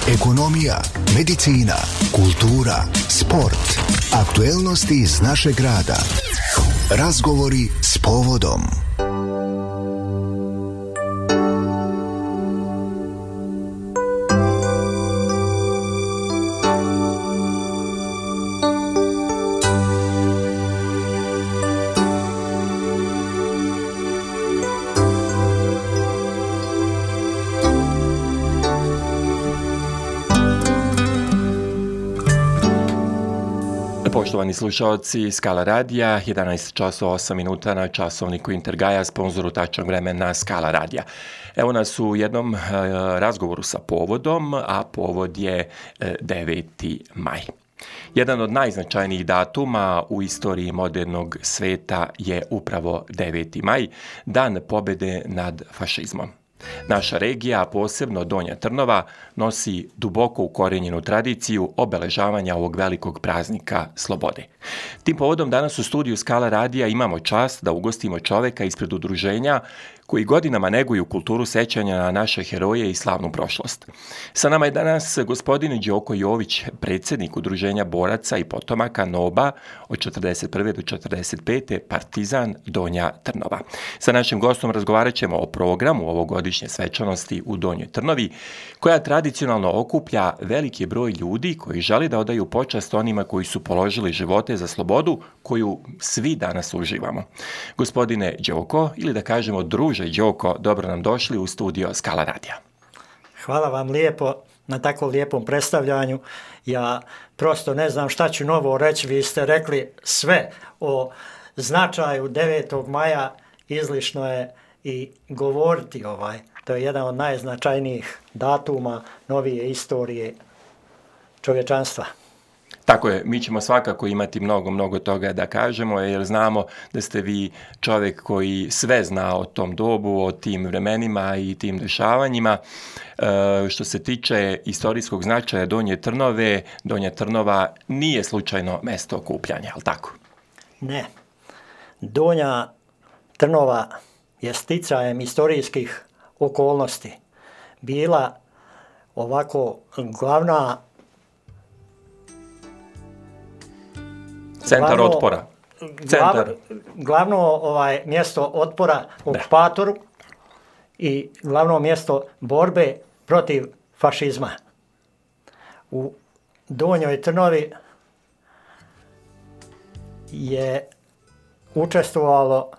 Ekonomija, medicina, kultura, sport, aktuelnosti iz našeg grada. Razgovori s povodom. Poštovani slušalci Skala radija, 11 časova 8 minuta na časovniku Intergaja, sponzoru tačnog vremena Skala radija. Evo nas u jednom razgovoru sa povodom, a povod je 9. maj. Jedan od najznačajnijih datuma u istoriji modernog sveta je upravo 9. maj, dan pobjede nad fašizmom. Naša regija, a posebno Donja Trnova, nosi duboko ukorijenjenu tradiciju obeležavanja ovog velikog praznika slobode. Tim povodom danas u studiju Skala radija imamo čast da ugostimo čoveka ispred udruženja koji godinama neguju kulturu sećanja na naše heroje i slavnu prošlost. Sa nama je danas gospodin Đoko Jović, predsjednik udruženja boraca i potomaka NOB-a od 41. do 45. Partizan Donja Trnova. Sa našim gostom razgovarat ćemo o programu ovogodišnje svečanosti u Donjoj Trnovi, koja tradicionalno okuplja veliki broj ljudi koji žele da odaju počast onima koji su položili živote za slobodu koju svi danas uživamo. Gospodine Đoko, ili da kažemo druže Đoko, dobro nam došli u studio Skala radija. Hvala vam lijepo na tako lijepom predstavljanju. Ja prosto ne znam šta ću novo reći. Vi ste rekli sve o značaju 9. maja, izlišno je i govoriti To je jedan od najznačajnijih datuma novije istorije čovječanstva. Tako je, mi ćemo svakako imati mnogo toga da kažemo, jer znamo da ste vi čovjek koji sve zna o tom dobu, o tim vremenima i tim dešavanjima. Što se tiče istorijskog značaja Donje Trnove, Donja Trnova nije slučajno mjesto okupljanja, ali tako? Ne. Donja Trnova je sticajem historijskih okolnosti bila ovako glavna centar otpora. Glavno mjesto otpora okupatoru i glavno mjesto borbe protiv fašizma. U Donjoj Trnovi je učestvovalo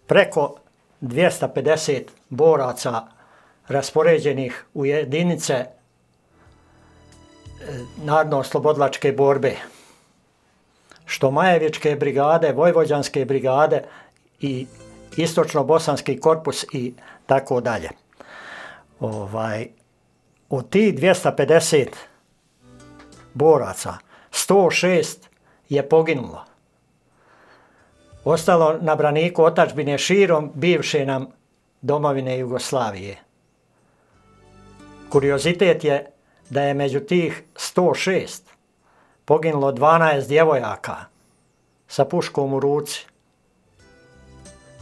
preko 250 boraca raspoređenih u jedinice narodno-oslobodilačke borbe, što Majevičke brigade, Vojvođanske brigade i Istočno-bosanski korpus i tako dalje. Od tih 250 boraca, 106 je poginulo. Ostalo na braniku otadžbine širom bivše nam domovine Jugoslavije. Kuriozitet je da je među tih 106 poginulo 12 djevojaka sa puškom u ruci.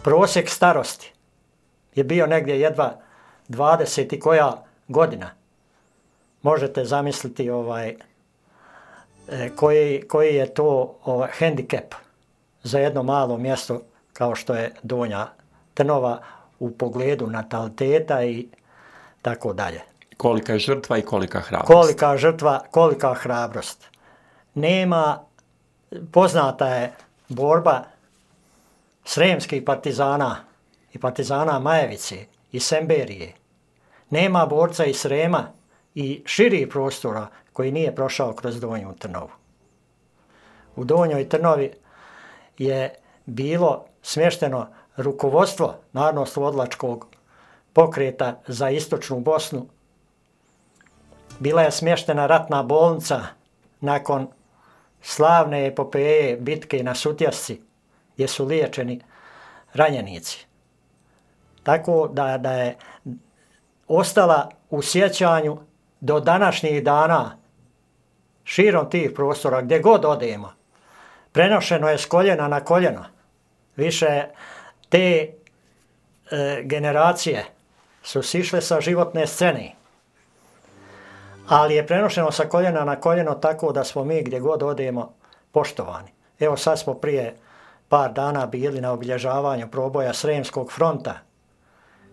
Prosjek starosti je bio negdje jedva 20 i koja godina. Možete zamisliti koji je to hendikep za jedno malo mjesto kao što je Donja Trnova u pogledu nataliteta i tako dalje. Kolika je žrtva i kolika hrabrost. Kolika žrtva, kolika hrabrost. Poznata je borba sremskih partizana i partizana Majevice i Semberije. Nema borca iz Srema i širih prostora koji nije prošao kroz Donju Trnovu. U Donjoj Trnovi je bilo smješteno rukovodstvo narodno-oslobodilačkog pokreta za istočnu Bosnu. Bila je smještena ratna bolnica nakon slavne epopeje bitke na Sutjesci, gdje su liječeni ranjenici. Tako da je ostala u sjećanju do današnjih dana širom tih prostora, gdje god odemo. Prenošeno je s koljena na koljeno. Više te generacije su sišle sa životne scene. ali je prenošeno sa koljena na koljeno tako da smo mi gdje god odemo poštovani. Evo sad smo prije par dana bili na obilježavanju proboja Sremskog fronta,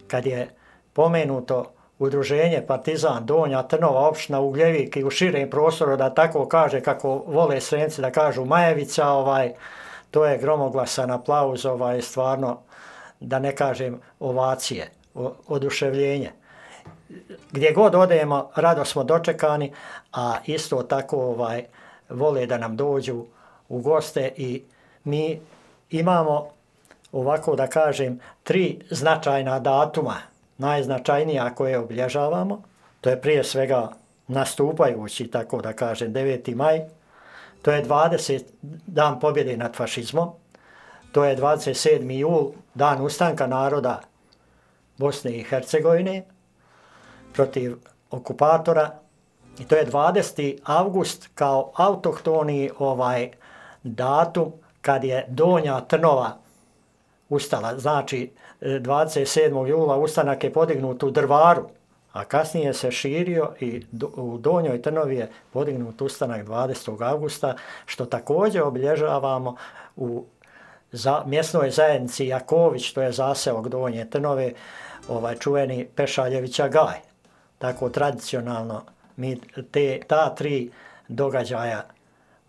kad je pomenuto udruženje Partizan Donja Trnova, opština Ugljevik i u širem prostoru, da tako kaže, kako vole Sremci da kažu Majevica, to je gromoglasan aplauz, stvarno, da ne kažem ovacije, oduševljenje. Gdje god odemo, rado smo dočekani, a isto tako vole da nam dođu u goste i mi imamo, ovako da kažem, 3 značajna datuma, najznačajnija koje obilježavamo. To je prije svega nastupajući, tako da kažem, 9. maj. To je 20. dan pobjede nad fašizmom. To je 27. jul, dan ustanka naroda Bosne i Hercegovine protiv okupatora. I to je 20. avgust kao autohtoni datum kad je Donja Trnova ustala. Znači, 27. jula ustanak je podignut u Drvaru, a kasnije se širio i u Donjoj Trnovi je podignut ustanak 20. avgusta, što također obilježavamo u mjesnoj zajednici Jaković, to je zaseok Donje Trnove, čuveni Pešaljevića Gaj. Tako tradicionalno mi ta 3 događaja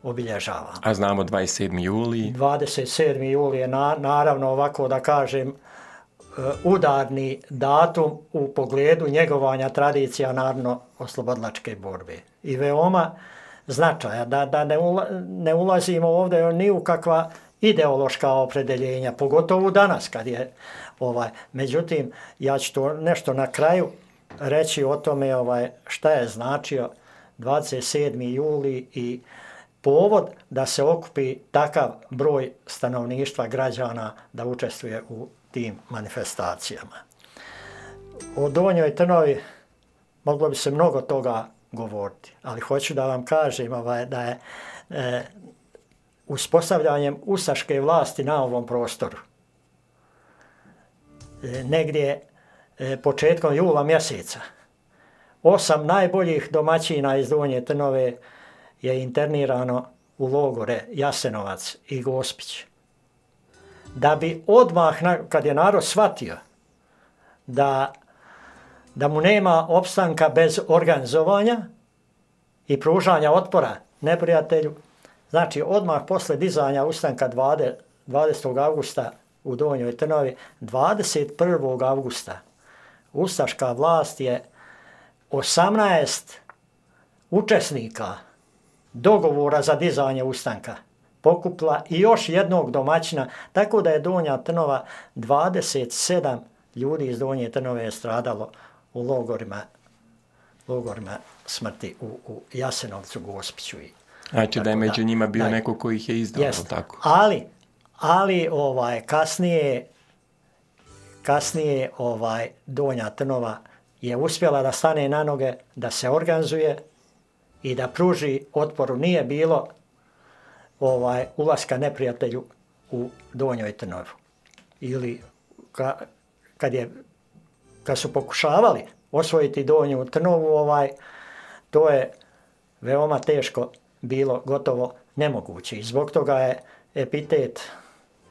obilježavamo. A znamo 27. juli? 27. juli je naravno, ovako da kažem, udarni datum u pogledu njegovanja tradicija narodno-oslobodilačke borbe. I veoma značaja, da ne ulazimo ovdje ni u kakva ideološka opredeljenja, pogotovo danas kad je međutim, ja ću to nešto na kraju reći o tome šta je značio 27. juli i povod da se okupi takav broj stanovništva, građana da učestvuje u tim manifestacijama. O Donjoj Trnovi moglo bi se mnogo toga govoriti, ali hoću da vam kažem da je uspostavljanjem ustaške vlasti na ovom prostoru negdje početkom jula mjeseca 8 najboljih domaćina iz Donje Trnove je internirano u logore Jasenovac i Gospić. Da bi odmah, kad je narod shvatio da mu nema opstanka bez organizovanja i pružanja otpora neprijatelju, znači odmah posle dizanja ustanka 20. augusta u Donjoj Trnovi, 21. augusta ustaška vlast je 18 učesnika dogovora za dizanje ustanka pokupila i još jednog domaćina, tako da je Donja Trnova 27 ljudi iz Donje Trnove je stradalo u logorima smrti u Jasenovcu, Gospiću. Znači da je među njima bio neko koji ih je izdao, tako? Ali kasnije Donja Trnova je uspjela da stane na noge, da se organizuje i da pruži otporu. Nije bilo ulaska neprijatelju u Donjoj Trnovu. Ili kad su pokušavali osvojiti Donju Trnovu, to je veoma teško bilo, gotovo nemoguće. I zbog toga je epitet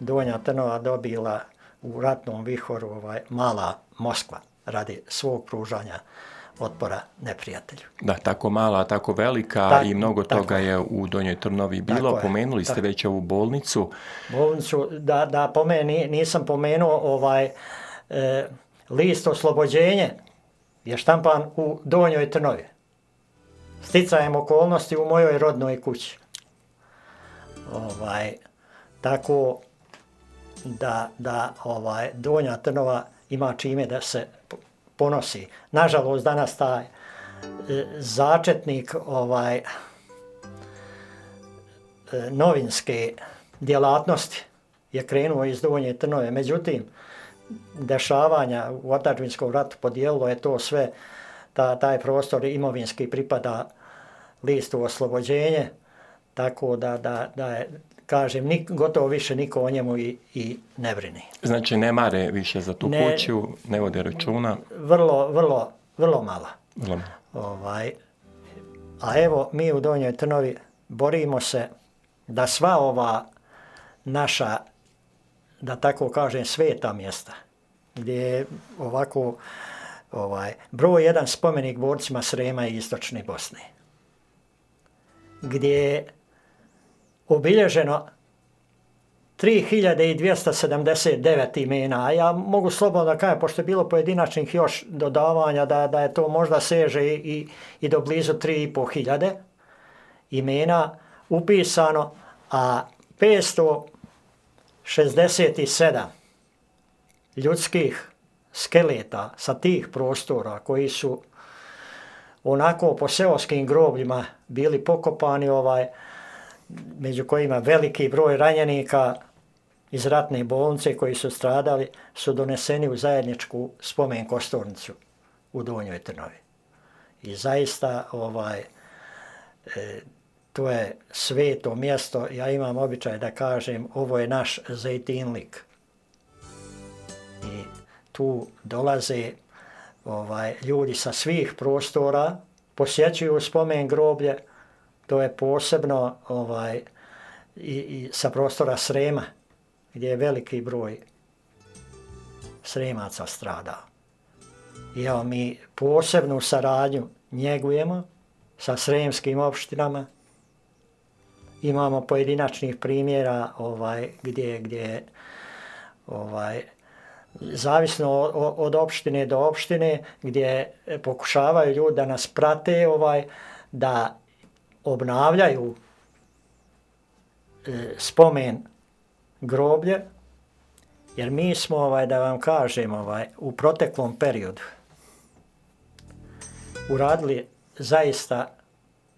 Donja Trnova dobila u ratnom vihoru mala Moskva radi svog pružanja otpora neprijatelju. Da, tako mala, tako velika i mnogo toga je u Donjoj Trnovi bilo. Pomenuli ste već ovu bolnicu. Bolnicu, da nisam pomenuo list oslobođenje je štampan u Donjoj Trnovi. Sticajem okolnosti u mojoj rodnoj kući. Tako da Donja Trnova ima čime da se ponosi. Nažalost, danas taj začetnik novinske djelatnosti je krenuo iz Donje Trnove. Međutim, dešavanja u otadžbinskom ratu podijelilo je to sve, taj prostor imovinski pripada listu oslobođenje, tako da je, kažem, gotovo više niko o njemu i ne brini. Znači ne mare više za tu kuću, ne vode računa? Vrlo malo. A evo, mi u Donjoj Trnovi borimo se da sva ova naša, da tako kažem, sveta mjesta, gdje je ovako broj jedan spomenik borcima Srema i Istočne Bosne, gdje je obilježeno 3279 imena, a ja mogu slobodno da kažem, pošto je bilo pojedinačnih još dodavanja, da je to možda seže i do blizu 3500 imena upisano, a 567 ljudskih skeleta sa tih prostora koji su onako po seoskim grobljima bili pokopani, među kojima veliki broj ranjenika iz ratne bolnice koji su stradali, su doneseni u zajedničku spomen kosturnicu u Donjoj Trnovi. I zaista to je sveto mjesto. Ja imam običaj da kažem, ovo je naš Zejtinlik. I tu dolaze ljudi sa svih prostora, posjećuju spomen groblje. To je posebno i sa prostora Srema, gdje je veliki broj Sremaca stradao. I evo, mi posebnu saradnju njegujemo sa sremskim opštinama. Imamo pojedinačnih primjera gdje zavisno od opštine do opštine, gdje pokušavaju ljudi da nas prate, da obnavljaju spomen groblje, jer mi smo, da vam kažem, u proteklom periodu uradili zaista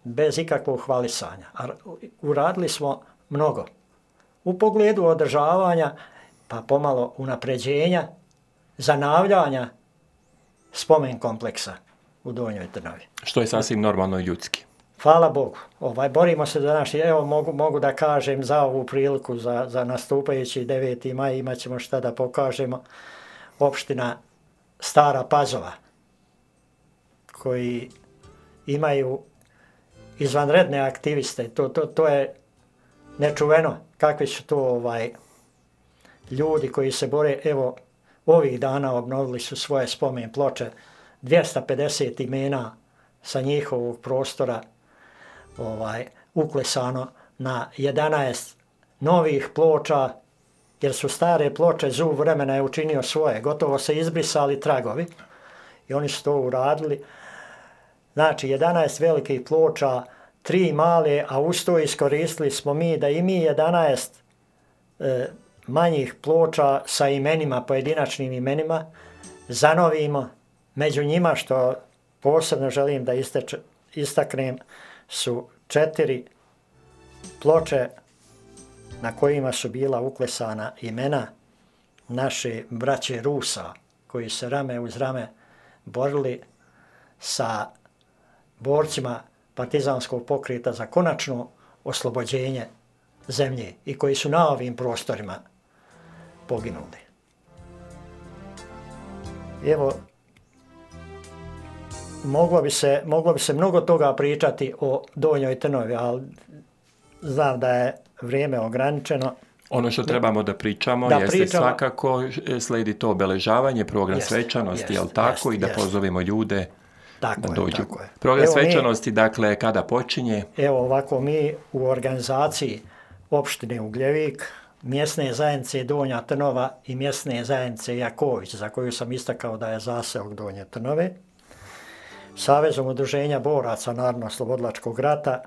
bez ikakvog hvalisanja. Uradili smo mnogo. U pogledu održavanja, pa pomalo unapređenja, zanavljanja spomen kompleksa u Donjoj Trnovi. Što je sasvim normalno i ljudski. Hvala Bogu. Borimo se za naši, evo mogu da kažem za ovu priliku, za nastupajući 9. maj, imat ćemo šta da pokažemo. Opština Stara Pazova, koji imaju izvanredne aktiviste. To je nečuveno kakvi su to ljudi koji se bore. Evo, ovih dana obnovili su svoje spomen ploče, 250 imena sa njihovog prostora uklesano na 11 novih ploča, jer su stare ploče, zub vremena je učinio svoje, gotovo se izbrisali tragovi i oni su to uradili. Znači, 11 velikih ploča, 3 male, a uz to iskoristili smo mi da i mi 11 manjih ploča sa imenima, pojedinačnim imenima, zanovimo. Među njima, što posebno želim da istaknem, su 4 ploče na kojima su bila uklesana imena naše braće Rusa, koji se rame uz rame borili sa borcima partizanskog pokreta za konačno oslobođenje zemlje i koji su na ovim prostorima poginuli. Evo, moglo bi se mnogo toga pričati o Donjoj Trnovi, ali znam da je vrijeme ograničeno. Ono što trebamo da pričamo jeste svakako slijedi to obeležavanje, program svečanosti, jel tako? I da pozovemo ljude da dođu. Program svečanosti, dakle, kada počinje? Evo ovako, mi u organizaciji opštine Ugljevik, mjesne zajednice Donja Trnova i mjesne zajednice Jaković, za koju sam istakao da je zaseok Donje Trnove, Savezom udruženja boraca Narodno-oslobodilačkog rata,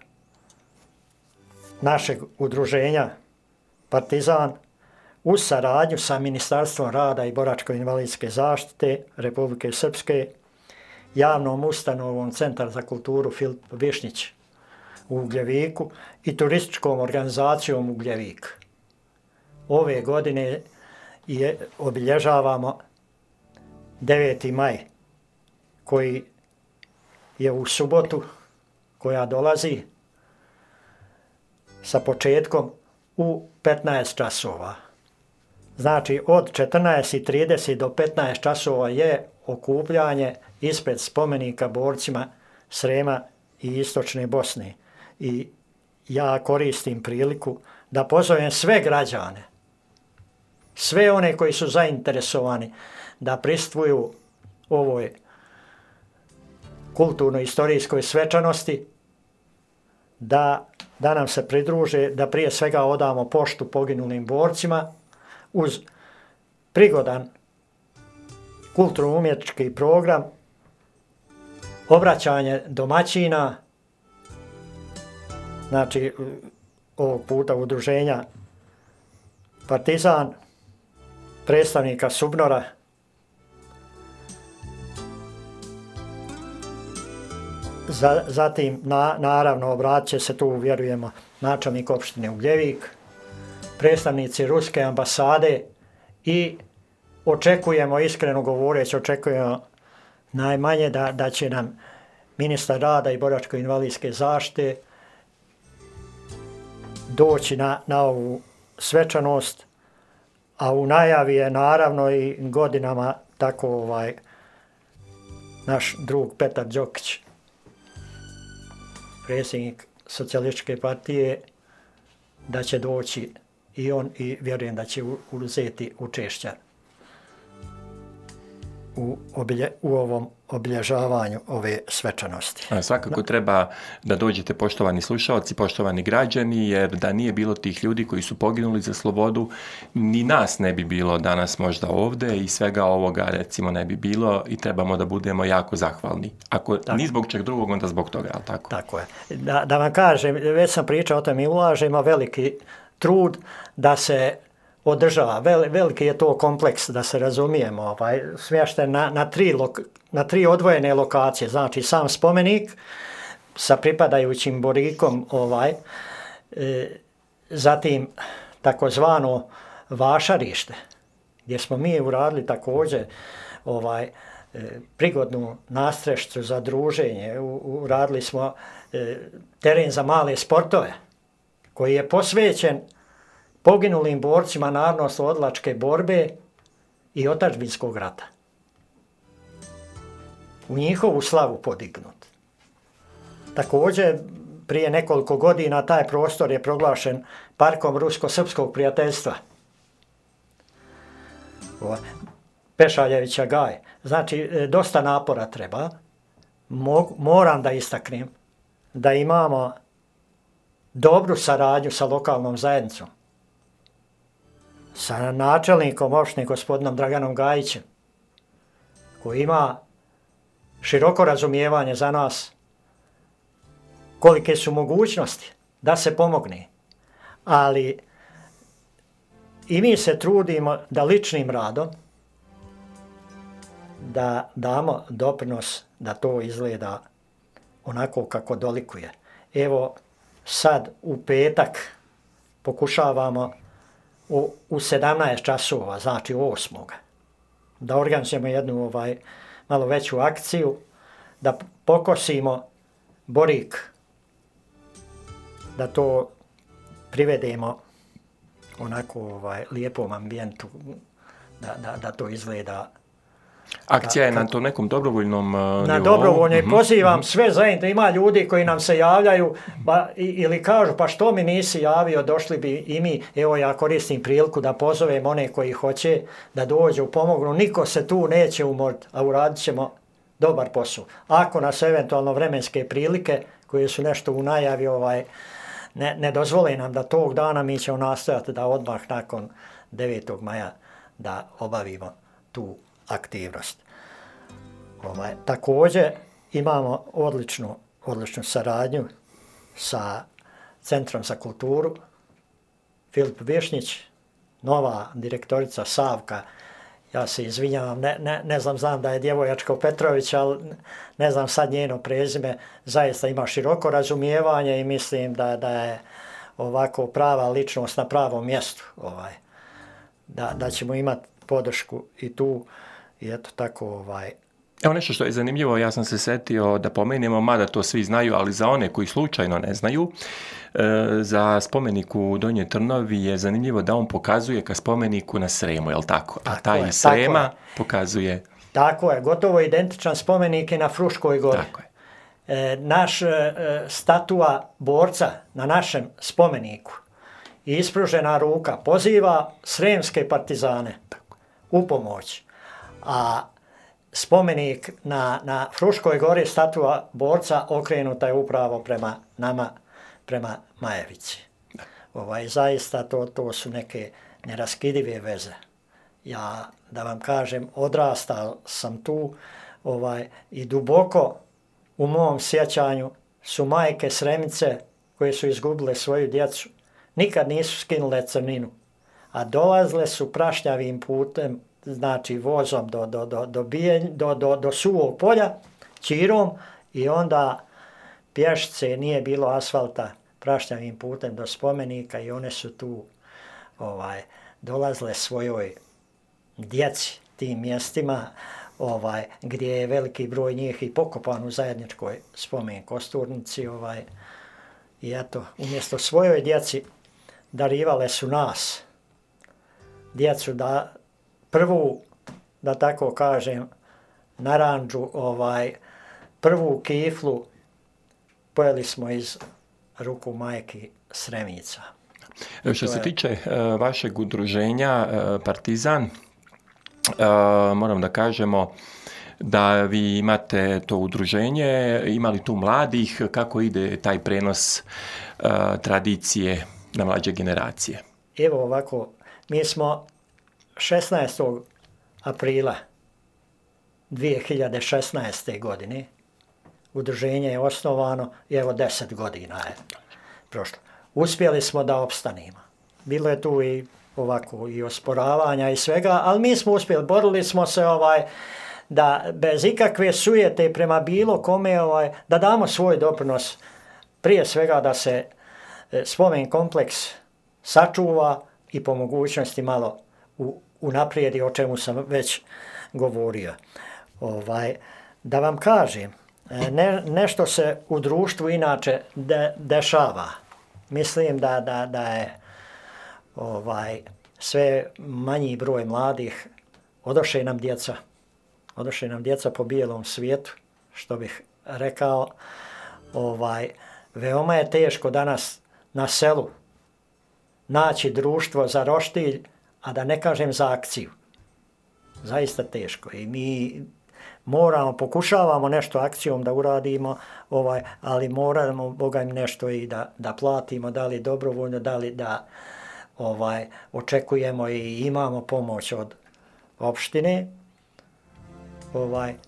našeg udruženja Partizan, uz saradnju sa Ministarstvom rada i boračko-invalidske zaštite Republike Srpske, javnom ustanovom Centar za kulturu Filip Višnjić u Ugljeviku i turističkom organizacijom Ugljevik. Ove godine obilježavamo 9. maj, koji je u subotu koja dolazi sa početkom u 15 časova. Znači, od 14:30 do 15 časova je okupljanje ispred spomenika borcima Srema i istočne Bosne. I ja koristim priliku da pozovem sve građane, sve one koji su zainteresovani da pristvuju ovoj kulturno-istorijskoj svečanosti, da nam se pridruže, da prije svega odamo poštu poginulim borcima uz prigodan kulturno-umjetnički program, obraćanje domaćina, znači ovog puta udruženja Partizan, predstavnika SUBNOR-a, zatim naravno obratit će se tu, vjerujemo, načelnik opštine Ugljevik, predstavnici Ruske ambasade i očekujemo, iskreno govoreći, očekujemo najmanje da će nam ministar rada i boračko-invalidske zaštite doći na ovu svečanost, a u najavi je naravno i godinama tako naš drug Petar Đokić, predsjednik Socijalističke partije, da će doći i on i vjerujem da će uzeti učešća u ovom obilježavanju ove svečanosti. Svakako treba da dođete, poštovani slušalci, poštovani građani, jer da nije bilo tih ljudi koji su poginuli za slobodu, ni nas ne bi bilo danas možda ovdje i svega ovoga recimo ne bi bilo i trebamo da budemo jako zahvalni. Ako ni zbog čeg drugog, onda zbog toga, ali tako? Tako je. Da vam kažem, već sam pričao o tom i ulažemo veliki trud da se održava. Veliki je to kompleks, da se razumijemo, smješten na tri odvojene lokacije, znači sam spomenik sa pripadajućim borikom, zatim takozvano vašarište, gdje smo mi uradili također prigodnu nastrešću za druženje, uradili smo teren za male sportove, koji je posvećen poginulim borcima narodnooslobodilačke borbe i otadžbinskog rata. U njihovu slavu podignut. Također, prije nekoliko godina taj prostor je proglašen parkom rusko-srpskog prijateljstva. Pešaljevića Gaj. Znači, dosta napora treba. Moram da istaknem da imamo dobru saradnju sa lokalnom zajednicom, sa načelnikom opštine gospodinom Draganom Gajićem, koji ima široko razumijevanje za nas kolike su mogućnosti da se pomogne. Ali i mi se trudimo da ličnim radom da damo doprinos da to izgleda onako kako dolikuje. Evo sad u petak pokušavamo u 17 časova, znači 8. da organizujemo jednu malo veću akciju, da pokosimo borik, da to privedemo onako lijepom ambijentu, da to izgleda. Akcija je na to nekom dobrovoljnom nivou? Na dobrovoljnoj. Pozivam sve zajedno. Ima ljudi koji nam se javljaju ili kažu pa što mi nisi javio, došli bi i mi. Evo ja koristim priliku da pozovem one koji hoće da dođu, pomognu. Niko se tu neće umoriti, a uradit ćemo dobar posao. Ako nas eventualno vremenske prilike koje su nešto u najavi ne dozvole nam da tog dana, mi ćemo nastojati da odmah nakon 9. maja da obavimo tu aktivnost. Također imamo odličnu saradnju sa Centrom za kulturu. Filip Višnić, nova direktorica Savka, ja se izvinjavam, ne znam da je djevojačka Petrović, ali ne znam sad njeno prezime, zaista ima široko razumijevanje i mislim da je ovako prava ličnost na pravom mjestu. Da ćemo imati podršku i tu. I eto tako Evo nešto što je zanimljivo, ja sam se setio da pomenemo, mada to svi znaju, ali za one koji slučajno ne znaju, za spomenik u Donjoj Trnovi je zanimljivo da on pokazuje ka spomeniku na Sremu, je li tako? A taj iz Srema pokazuje... Tako je, gotovo identičan spomenik je na Fruškoj gori. Tako je. naš statua borca na našem spomeniku i ispružena ruka poziva sremske partizane u pomoć. A spomenik na Fruškoj gori, statua borca, okrenuta je upravo prema nama, prema Majevici. Zaista to su neke neraskidive veze. Ja, da vam kažem, odrastao sam tu i duboko u mom sjećanju su majke Sremice koje su izgubile svoju djecu, nikad nisu skinule crninu, a dolazile su prašnjavim putem, znači vozom do Suvog polja, čirom, i onda pješice, nije bilo asfalta, prašnjavim putem do spomenika, i one su tu dolazile svojoj djeci tim mjestima, gdje je veliki broj njih i pokopan u zajedničkoj spomen kosturnici, i eto, umjesto svojoj djeci darivale su nas, djecu, da prvu, da tako kažem, naranđu, prvu kiflu pojeli smo iz ruku majki Sremica. Što se tiče vašeg udruženja Partizan, moram da kažemo da vi imate to udruženje, imali tu mladih, kako ide taj prenos tradicije na mlađe generacije? Evo ovako, mi smo 16. aprila 2016. godine, udruženje je osnovano i evo 10 godina je prošlo. Uspjeli smo da opstanimo. Bilo je tu i osporavanja i svega, ali mi smo uspjeli, borili smo se da bez ikakve sujete prema bilo kome, da damo svoj doprinos, prije svega da se spomen kompleks sačuva i po mogućnosti malo unaprijedi, o čemu sam već govorio. Da vam kažem, nešto se u društvu inače dešava. Mislim da je sve manji broj mladih, odoše nam djeca po bijelom svijetu, što bih rekao. Veoma je teško danas na selu naći društvo za roštilj, a da ne kažem za akciju. Zaista teško. I mi pokušavamo nešto akcijom da uradimo, ali moramo, Boga im, nešto i da platimo, da li dobrovoljno, da li da očekujemo i imamo pomoć od opštine.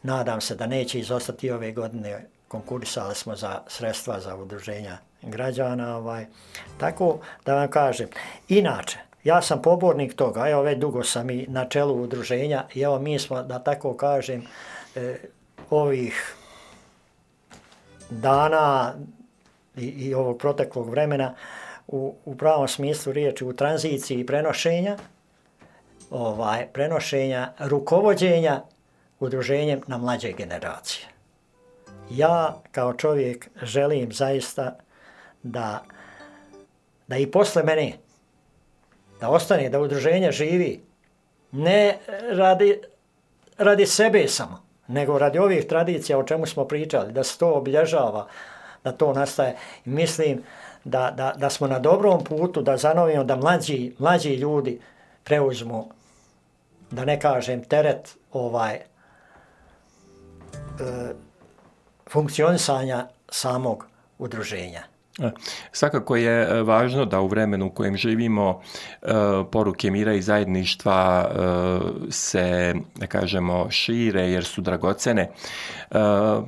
Nadam se da neće izostati ove godine. Konkurisali smo za sredstva za udruženja građana. Tako da vam kažem. Inače, ja sam pobornik toga, evo već dugo sam i na čelu udruženja i evo mi smo, da tako kažem, ovih dana i ovog proteklog vremena u pravom smislu riječi u tranziciji prenošenja rukovođenja udruženjem na mlađe generacije. Ja kao čovjek želim zaista da i posle mene da ostane, da udruženje živi, ne radi sebe samo, nego radi ovih tradicija o čemu smo pričali, da se to obilježava, da to nastaje. I mislim da smo na dobrom putu, da zanovimo, da mlađi ljudi preuzmu, da ne kažem, teret funkcionisanja samog udruženja. Svakako je važno da u vremenu u kojem živimo poruke mira i zajedništva se, da kažemo, šire jer su dragocene,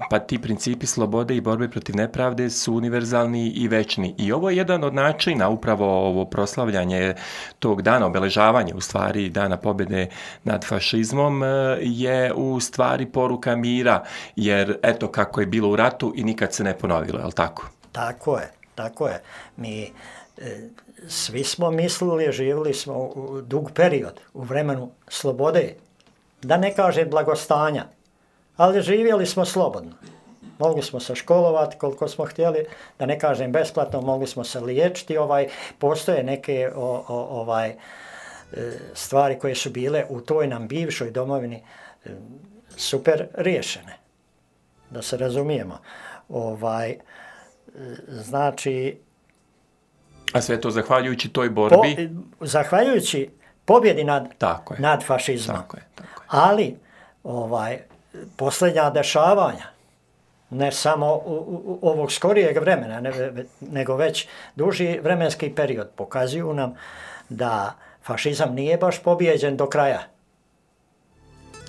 pa ti principi slobode i borbe protiv nepravde su univerzalni i večni. I ovo je jedan od načina, upravo ovo proslavljanje tog dana, obeležavanje u stvari dana pobjede nad fašizmom, je u stvari poruka mira, jer eto kako je bilo u ratu i nikad se ne ponovilo, je li tako? Tako je. Mi svi smo mislili, živjeli smo u dug period, u vremenu slobode, da ne kažem blagostanja, ali živjeli smo slobodno. Mogli smo se školovati koliko smo htjeli, da ne kažem besplatno, mogli smo se liječiti. Postoje neke stvari koje su bile u toj nam bivšoj domovini super riješene, da se razumijemo. Znači... A sve to zahvaljujući toj borbi? Zahvaljujući pobjedi nad fašizmom. Tako je. Ali posljednja dešavanja, ne samo ovog skorijeg vremena, nego već duži vremenski period, pokazuju nam da fašizam nije baš pobijeđen do kraja.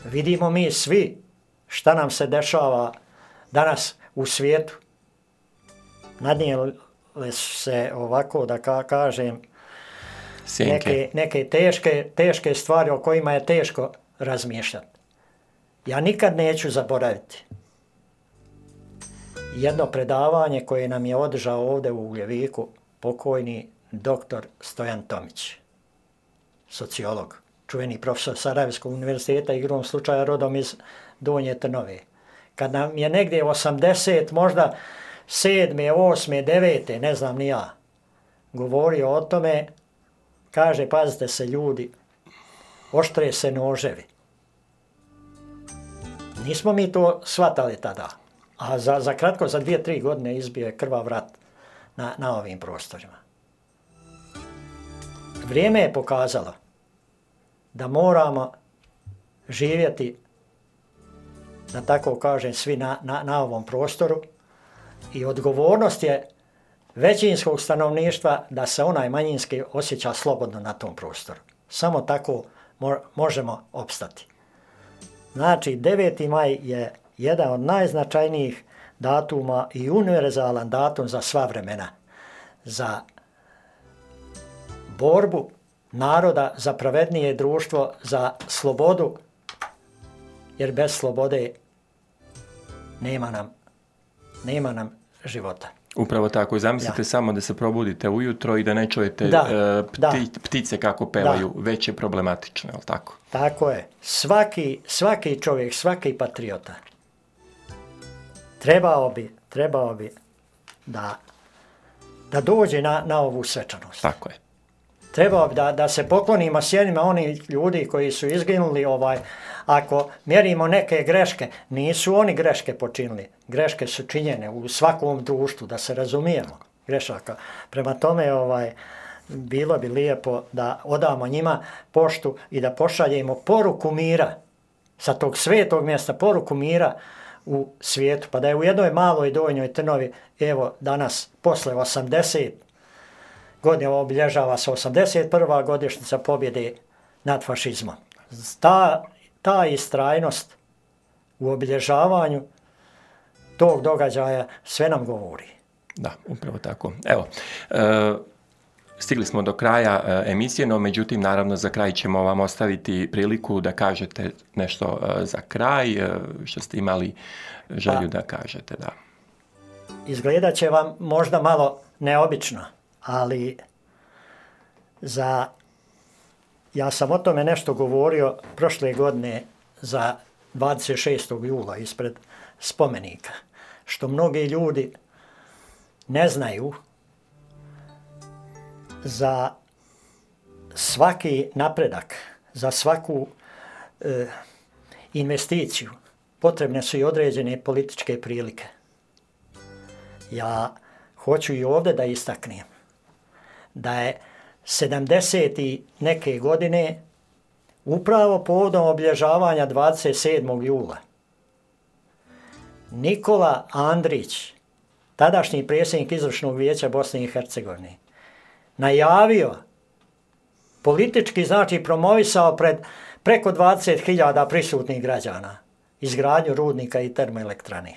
Vidimo mi svi šta nam se dešava danas u svijetu. Nadnijele se, ovako da kažem, neke teške stvari o kojima je teško razmišljati. Ja nikad neću zaboraviti jedno predavanje koje nam je održao ovdje u Ugljeviku pokojni doktor Stojan Tomić, sociolog, čuveni profesor Sarajevskog univerziteta, igrom slučaja rodom iz Donje Trnove. Kad nam je negdje 80, možda 7., 8., 9., ne znam ni ja, govorio o tome, kaže, pazite se ljudi, oštre se noževi. Nismo mi to shvatali tada, a za kratko, za 2-3 godine izbio je krvav rat na ovim prostorima. Vrijeme je pokazalo da moramo živjeti, da tako kažem, svi na ovom prostoru i odgovornost je većinskog stanovništva da se onaj manjinski osjeća slobodno na tom prostoru. Samo tako možemo opstati. Znači, 9. maj je jedan od najznačajnijih datuma i univerzalan datum za sva vremena. Za borbu naroda, za pravednije društvo, za slobodu, jer bez slobode nema nam života. Upravo tako. Zamislite samo da se probudite ujutro i da ne čujete ptice kako pevaju, već je problematično, je li tako? Tako je. Svaki čovjek, svaki patriota trebao bi da dođe na ovu svečanost. Tako je. Trebao bi da se poklonimo sjenima onih ljudi koji su izginuli. Ako mjerimo neke greške, nisu oni greške počinili. Greške su činjene u svakom društvu, da se razumijemo, grešaka. Prema tome, bilo bi lijepo da odamo njima poštu i da pošaljemo poruku mira sa tog svetog mjesta, poruku mira u svijetu. Pa da je u jednoj maloj Donjoj Trnovi, evo danas, posle 80 godina obilježava se 81. godišnjica pobjede nad fašizmom. Ta istrajnost u obilježavanju tog događaja sve nam govori. Da, upravo tako. Evo, stigli smo do kraja emisije, no međutim, naravno, za kraj ćemo vam ostaviti priliku da kažete nešto za kraj, što ste imali želju da kažete. Da. Izgledat će vam možda malo neobično, ali ja sam o tome nešto govorio prošle godine za 26. jula ispred spomenika, što mnogi ljudi ne znaju. Za svaki napredak, za svaku investiciju potrebne su i određene političke prilike. Ja hoću i ovdje da istaknem da je 70. i neke godine upravo povodom obilježavanja 27. jula Nikola Andrić, tadašnji predsjednik Izvršnog vijeća Bosne i Hercegovine, najavio, politički znači promovisao pred preko 20.000 prisutnih građana izgradnju rudnika i termoelektrane.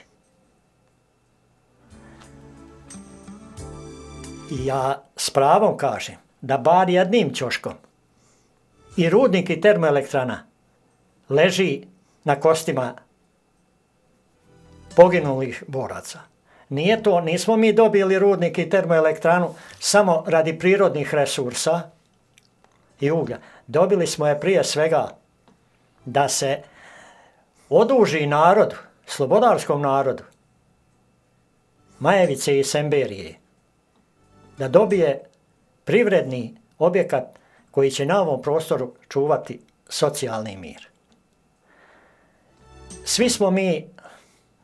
I ja s pravom kažem da bar jednim ćoškom i rudnik i termoelektrana leži na kostima poginulih boraca. Nismo mi dobili rudnik i termoelektranu samo radi prirodnih resursa i uglja. Dobili smo je prije svega da se oduži narodu, slobodarskom narodu, Majevice i Semberije, da dobije privredni objekat koji će na ovom prostoru čuvati socijalni mir. Svi smo mi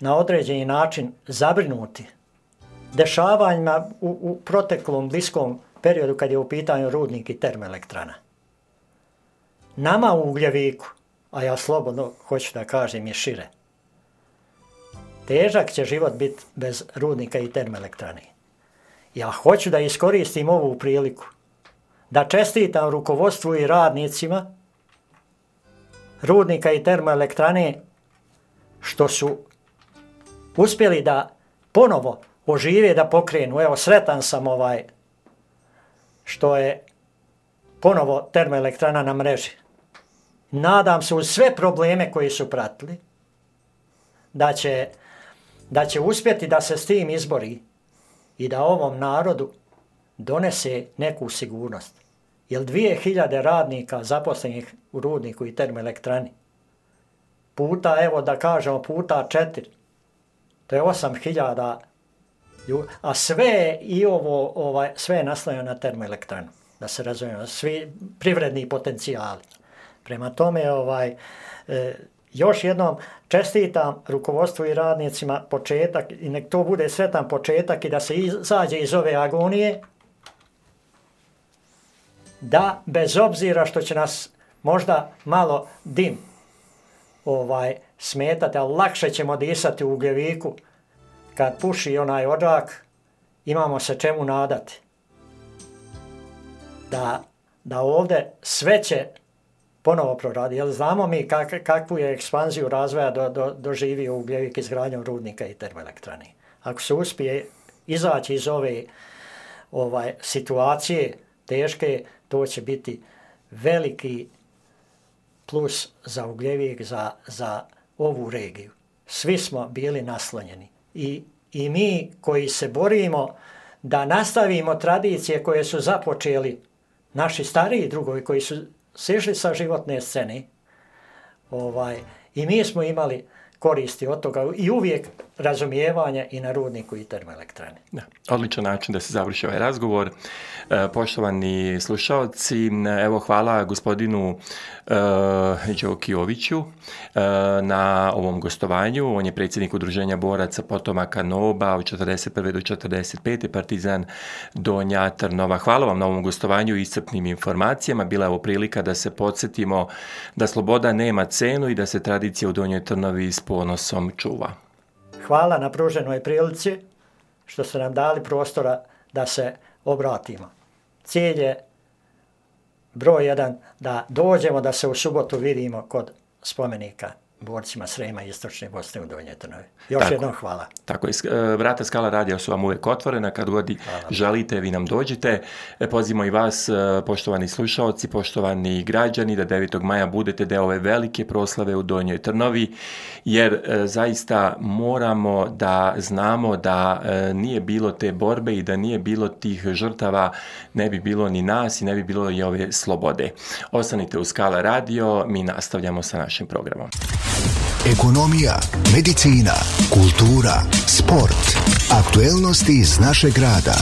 na određeni način zabrinuti dešavanjima u proteklom bliskom periodu kad je u pitanju rudnik i termoelektrana. Nama u Ugljeviku, a ja slobodno hoću da kažem je šire, težak će život biti bez rudnika i termoelektrane. Ja hoću da iskoristim ovu priliku da čestitam rukovodstvu i radnicima rudnika i termoelektrane što su uspjeli da ponovo ožive, da pokrenu. Evo, sretan sam što je ponovo termoelektrana na mreži. Nadam se uz sve probleme koji su pratili da će uspjeti da se s tim izbori i da ovom narodu donese neku sigurnost. Jer 2000 radnika zaposlenih u rudniku i termoelektrani puta, evo da kažemo, puta 4, to je 8000 ljudi, a sve i sve je naslonjeno na termoelektranu, da se razumijemo, svi privredni potencijali. Prema tome, još jednom čestitam rukovodstvu i radnicima početak i nek to bude sretan početak i da se izađe iz ove agonije, da bez obzira što će nas možda malo dim smetati, ali lakše ćemo disati u Ugljeviku kad puši onaj odžak, imamo se čemu nadati. Da ovdje sve će ponovo proradi, jer znamo mi kakvu je ekspanziju razvoja doživio Ugljevik izgradnjom rudnika i termoelektrane. Ako se uspije izaći iz ove situacije teške, to će biti veliki plus za Ugljevik, za ovu regiju. Svi smo bili naslonjeni i mi koji se borimo da nastavimo tradicije koje su započeli naši stariji drugovi koji su sišli sa životne scene, i mi smo imali koristi od toga i uvijek razumijevanja i na rudniku i termoelektrani. Da, odličan način da se završi ovaj razgovor. Poštovani slušalci, evo hvala gospodinu Đokijoviću na ovom gostovanju. On je predsjednik Udruženja boraca potomaka NOB-a od 41. do 45. Partizan Donja Trnova. Hvala vam na ovom gostovanju i iscrpnim informacijama. Bila je ovo prilika da se podsjetimo da sloboda nema cenu i da se tradicija u Donjoj Trnovi s ponosom čuva. Hvala na pruženoj prilici što ste nam dali prostora da se obratimo. Cilj je broj 1 da dođemo da se u subotu vidimo kod spomenika borcima Srema i Istočne Bosne u Donjoj Trnovi. Još jednom hvala. Tako je. Vrata Skala radija su vam uvijek otvorena. Kad god želite, vi nam dođite. Pozivamo i vas, poštovani slušalci, poštovani građani, da 9. maja budete deo ove velike proslave u Donjoj Trnovi, jer zaista moramo da znamo da nije bilo te borbe i da nije bilo tih žrtava, ne bi bilo ni nas i ne bi bilo i ove slobode. Ostanite u Skala radio, mi nastavljamo sa našim programom. Ekonomija, medicina, kultura, sport, aktuelnosti iz našeg grada.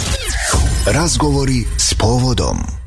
Razgovori s povodom.